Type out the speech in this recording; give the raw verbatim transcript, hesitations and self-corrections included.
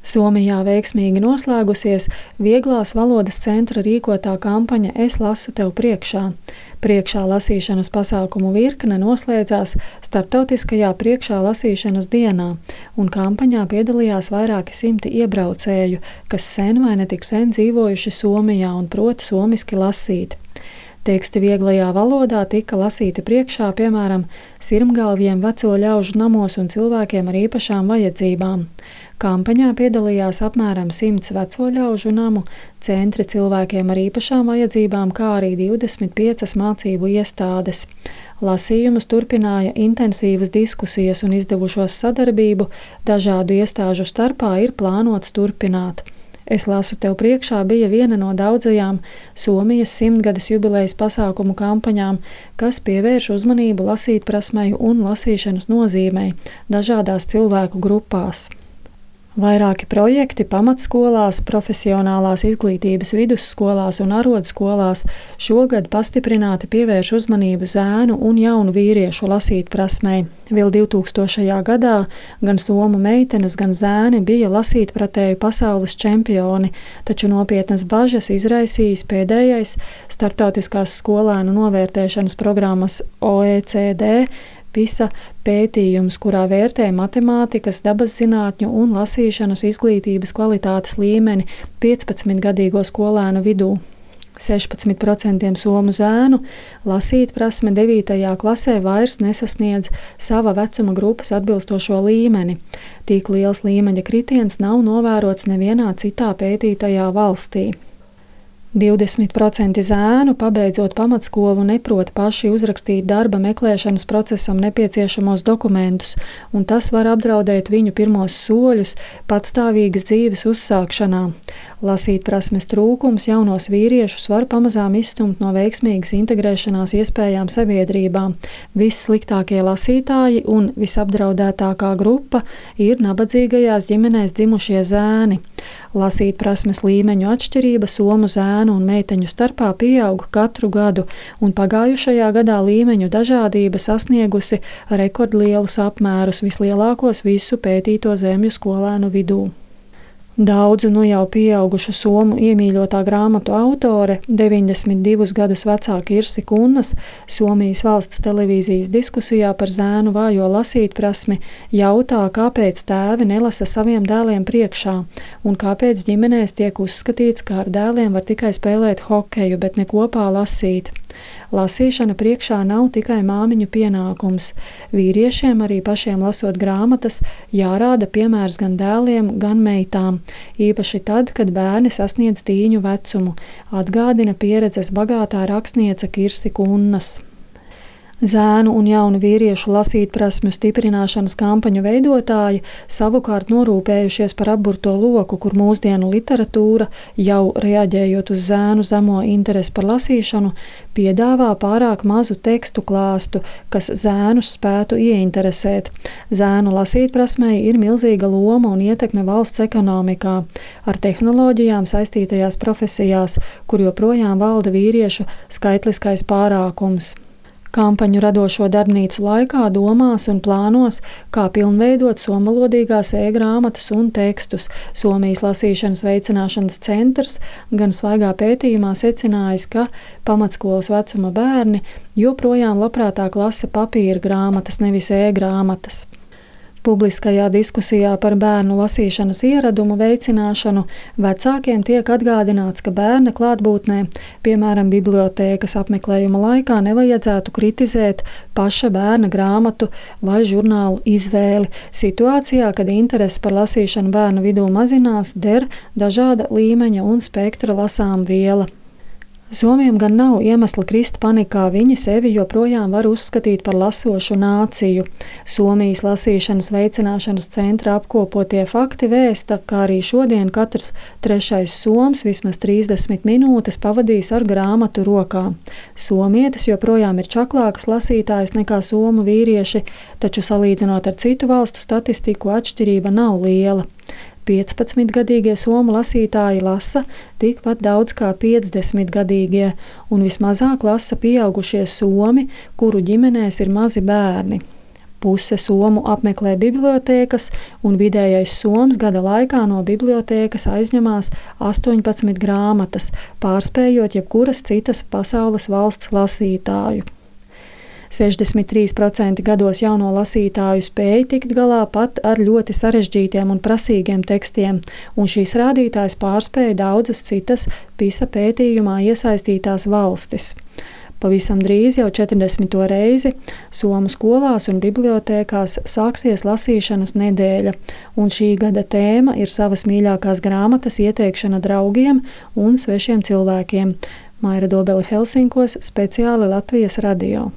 Somijā veiksmīgi noslēgusies Vieglās valodas centra rīkotā kampaņa Es lasu tev priekšā. Priekšā lasīšanas pasākumu virkne noslēdzās starptautiskajā priekšā lasīšanas dienā, un kampaņā piedalījās vairāki simti iebraucēju, kas sen vai netik sen dzīvojuši Somijā un prot somiski lasīt. Teksti vieglajā valodā tika lasīti priekšā, piemēram, sirmgalviem veco ļaužu namos un cilvēkiem ar īpašām vajadzībām. Kampaņā piedalījās apmēram simts veco ļaužu namu, centri cilvēkiem ar īpašām vajadzībām, kā arī divdesmit piecas mācību iestādes. Lasījumus turpināja intensīvas diskusijas un izdevušos sadarbību dažādu iestāžu starpā ir plānots turpināt. Es lasu tev priekšā bija viena no daudzajām Somijas simtgades jubilejas pasākumu kampaņām, kas pievērš uzmanību lasītprasmei un lasīšanas nozīmei dažādās cilvēku grupās. Vairāki projekti pamatskolās, profesionālās izglītības vidusskolās un arodskolās šogad pastiprināti pievērš uzmanību zēnu un jaunu vīriešu lasītprasmei. Vēl divtūkstošajā gadā gan somu meitenes, gan zēni bija lasītpratēju pasaules čempioni, taču nopietnas bažas izraisījis pēdējais starptautiskās skolēnu novērtēšanas programmas O E C D PISA pētījums, kurā vērtē matemātikas, dabas zinātņu un lasīšanas izglītības kvalitātes līmeni piecpadsmitgadīgo skolēnu vidū. sešpadsmit procenti somu zēnu lasītprasme devītajā klasē vairs nesasniedz sava vecuma grupas atbilstošo līmeni. Tik liels līmeņa kritiens nav novērots nevienā citā pētītajā valstī. divdesmit procenti zēnu, pabeidzot pamatskolu, neprot paši uzrakstīt darba meklēšanas procesam nepieciešamos dokumentus, un tas var apdraudēt viņu pirmos soļus patstāvīgas dzīves uzsākšanā. Lasītprasmes trūkums jaunos vīriešus var pamazām izstumt no veiksmīgas integrēšanās iespējām sabiedrībā. Vissliktākie lasītāji un visapdraudētākā grupa ir nabadzīgajās ģimenēs dzimušie zēni. Lasītprasmes līmeņu atšķirība somu zēnu un meiteņu starpā pieaug katru gadu, un pagājušajā gadā līmeņu dažādība sasniegusi rekordlielus apmērus, vislielākos visu pētīto zemju skolēnu vidū. Daudzu nu jau pieaugušu somu iemīļotā grāmatu autore, deviņdesmit divus gadus vecā Kirsi Kunnas, Somijas valsts televīzijas diskusijā par zēnu vājo lasītprasmi, jautā, kāpēc tēvi nelasa saviem dēliem priekšā, un kāpēc ģimenēs tiek uzskatīts, ka ar dēliem var tikai spēlēt hokeju, bet ne kopā lasīt. Lasīšana priekšā nav tikai māmiņu pienākums. Vīriešiem arī pašiem lasot grāmatas jārāda piemērs gan dēliem, gan meitām, īpaši tad, kad bērni sasniedz tīņu vecumu, atgādina pieredzes bagātā rakstniece Kirsi Kunnas. Zēnu un jaunu vīriešu lasītprasmju stiprināšanas kampaņu veidotāji savukārt norūpējušies par apburto loku, kur mūsdienu literatūra, jau reaģējot uz zēnu zemo interesi par lasīšanu, piedāvā pārāk mazu tekstu klāstu, kas zēnus spētu ieinteresēt. Zēnu lasītprasmei ir milzīga loma un ietekme valsts ekonomikā, ar tehnoloģijām saistītajās profesijās, kur joprojām valda vīriešu skaitliskais pārākums. Kampaņu radošo darbnīcu laikā domās un plānos, kā pilnveidot somvalodīgās e-grāmatas un tekstus. Somijas lasīšanas veicināšanas centrs gan svaigā pētījumā secinājis, ka pamatskolas vecuma bērni joprojām labprātāk lasa papīra grāmatas, nevis e-grāmatas. Publiskajā diskusijā par bērnu lasīšanas ieradumu veicināšanu vecākiem tiek atgādināts, ka bērna klātbūtnē, piemēram, bibliotēkas apmeklējuma laikā, nevajadzētu kritizēt paša bērna grāmatu vai žurnālu izvēli. Situācijā, kad interese par lasīšanu bērnu vidū mazinās, der dažāda līmeņa un spektra lasām viela. Somiem gan nav iemesla krist panikā, viņi sevi joprojām var uzskatīt par lasošu nāciju. Somijas lasīšanas veicināšanas centra apkopotie fakti vēsta, ka arī šodien katrs trešais soms vismaz trīsdesmit minūtes pavadīs ar grāmatu rokā. Somietes joprojām ir čaklākas lasītājas nekā somu vīrieši, taču salīdzinot ar citu valstu statistiku atšķirība nav liela. piecpadsmitgadīgie somu lasītāji lasa tikpat daudz kā piecdesmitgadīgie, un vismazāk lasa pieaugušie somi, kuru ģimenēs ir mazi bērni. Puse somu apmeklē bibliotēkas, un vidējais soms gada laikā no bibliotēkas aizņemās astoņpadsmit grāmatas, pārspējot jebkuras citas pasaules valsts lasītāju. sešdesmit trīs procenti gados jauno lasītāju spēja tikt galā pat ar ļoti sarežģītiem un prasīgiem tekstiem, un šīs rādītājs pārspēja daudzas citas PISA pētījumā iesaistītās valstis. Pavisam drīz, jau četrdesmito reizi, somu skolās un bibliotēkās sāksies lasīšanas nedēļa, un šī gada tēma ir savas mīļākās grāmatas ieteikšana draugiem un svešiem cilvēkiem. Maira Dobele Helsinkos, speciāli Latvijas radio.